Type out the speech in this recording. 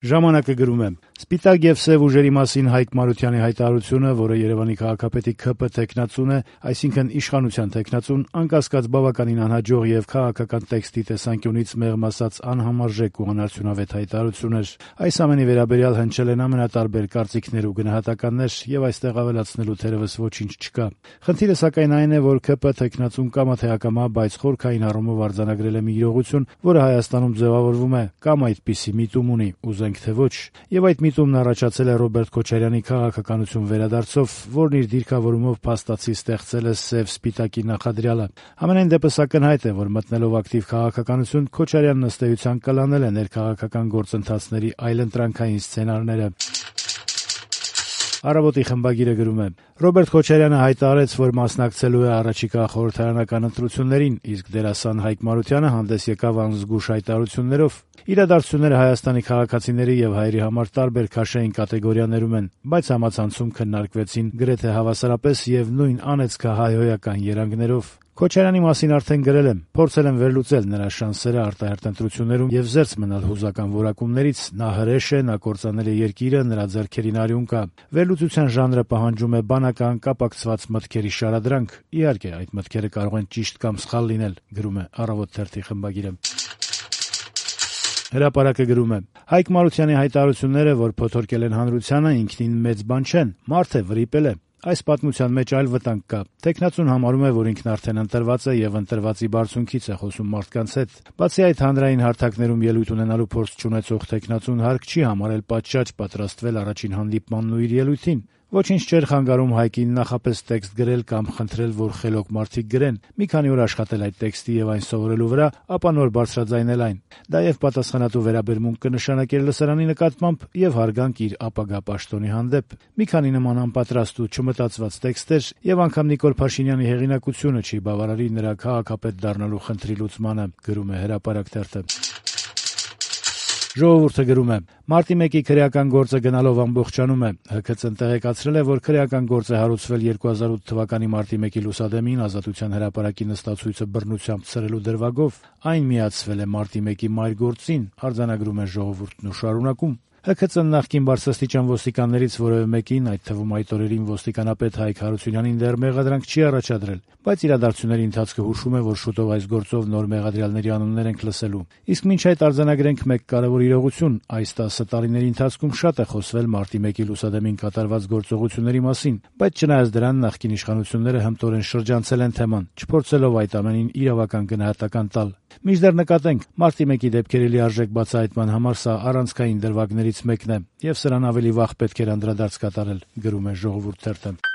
Ժամանակը գրում է. «Սպիտակ եւ սեւ ուժերի մասին Հայկ Մարությանի հայտարարությունը, որը Երևանի քաղաքապետի ՔՊ թեկնածուն է, այսինքն իշխանության թեկնածուն, անկասկած բավականին անհաջող եւ քաղաքական տեքստի տեսանկյունից մեղմ ասած անհամարժեք ու անարդյունավետ հայտարարություն էր։ Այս ամենի վերաբերյալ հնչել են ամենատարբեր կարծիքներ ու գնահատականներ, եւ այստեղ ավելացնելու թերևս ոչինչ չկա։ Խնդիրը սակայն այն է, որ ՔՊ թեկնածուն կամա թե ակամա, բայց խորքային առումով արձանագրել է մի իրողություն, որը Հայաստանում ձևավորվում է կամ այդպիսի միտում ունի, ուզենք թե ոչ, եւ այդ միտումն առաջացել է Ռոբերտ Քոչարյանի քաղաքականություն վերադարձով, որն իր դիրքավորումով փաստացի ստեղծել է սև-սպիտակի նախադրյալը։ Համենայն դեպս ակնհայտ է, որ մտնելով ակտիվ քաղաքականություն, Քոչարյանն ըստ էության կլանել է ներքաղաքական գործընթացների այլընտրանքային սցենարները։ Առավոտի խմբագիրը գրում է. Ռոբերտ Քոչարյանը հայտարարեց, որ մասնակցելու է առաջիկա խորհրդարանական ընտրություններին, իսկ դերասան Հայկ Մարությանը հանդես եկավ անզգույշ հայտարարություններով։ Իրադարձությունները Հայաստանի քաղաքացիների եւ հայերի համար տարբեր քաշային կատեգորիաներում են, բայց համացանցում քննարկվեցին գրեթե հավասարապես եւ նույն անեծքահայհոյական երանգներով։ Քոչարյանի մասին արդեն գրել եմ, փորձել եմ վերլուծել նրա շանսերը արտահերթ ընտրություններում եւ զերծ մնալ հուզական որակումներից։ Նա հրեշ է, նա կործանել է երկիրը, նրա ձեռքերին արյուն կա։ Վերլուծության ժանրը պահանջում է բանական կապակցված մտքերի շարադրանք։ Իհարկե, այդ մտքերը կարող են ճիշտ կամ սխալ լինել, գրում է Առավոտ թերթի խմբագիրը։ Հրապարակը գրում է. Հայկ Մարությանի հայտարարությունները, որ փոթորկել են հանրությանը, ինքնին մեծ բան չեն, մարդ է, վրիպել է։ Այս պատմության մեջ այլ վտանգ կա։ Թեկնածուն համարում է, որ ինքն արդեն ընտրված է եւ ընտրվածի բարձունքից է խոսում մարդկանց հետ։ Բացի այդ, հանրային հարթակներում ելույթ ունենալու փորձ չունեցող թեկնածուն հարկ չի համարել պատշաճ պատրաստվել առաջին հանդիպմանն ու իր ելույթին։ Ոչինչ չէր խանգարում Հայկին նախապես տեքստ գրել կամ խնդրել, որ խելոք մարդիկ գրեն, մի քանի օր աշխատել այդ տեքստի եւ այն սովորելու վրա, ապա նոր բարձրաձայնել այն։ Դա եւ պատասխանատու վերաբերմունք կնշանակեր լսարանի նկատմամբ եւ հարգանք իր ապագա պաշտոնի հանդեպ։ Մի քանի նման անպատրաստ ու չմտածված տեքստեր եւ անգամ Նիկոլ Փաշինյանի հեղինակությունը չի բավարարի նրա քաղաքապետ դառնալու խնդրի լուծմանը, գրում է Հրապարակ թերթը։ Ժողովուրդը գրում է. Մարտի 1-ի քրեական գործը գնալով ամբողջանում է։ ՀՔՑ-ն տեղեկացրել է, որ քրեական գործ է հարուցվել 2008 թվականի մարտի 1-ի լուսադեմին Ազատության հրապարակի նստացույցը բռնությամբ ցրելու դրվագով։ Այն միացվել է մարտի 1-ի մայր գործին, արձանագրում է Ժողովուրդն ու շարունակում. ՀՔՑ-ն նախկին բարձրաստիճան ոստիկաններից որևէ մեկին, այդ թվում այդ օրերին ոստիկանապետ Հայկ Հարությունյանին դեռ մեղադրանք չի առաջադրել, բայց իրադարձությունների ընթացքը հուշում է, որ շուտով այս գործով նոր մեղադրյալների անուններ ենք լսելու։ Իսկ մինչ այդ արձանագրենք մեկ կարևոր իրողություն. այս 10 տարիների ընթացքում շատ է խոսվել մարտի 1-ի լուսադեմին կատարված գործողությունների մասին, բայց չնայած դրան նախկին իշխանությունները հմտորեն շրջանցել են թեման, չփորձելով այդ ամենին իրավական գնահատական տալ։ Մինչդեռ նկատենք, մարտի 1-ի դեպքերի լիարժեք բացահայտման համար սա առանցքային դրվագներից մեկն է, եւ սրան ավելի վաղ պետք էր անդրադարձ կատարել, գրում է Ժողովուրդ թերթը։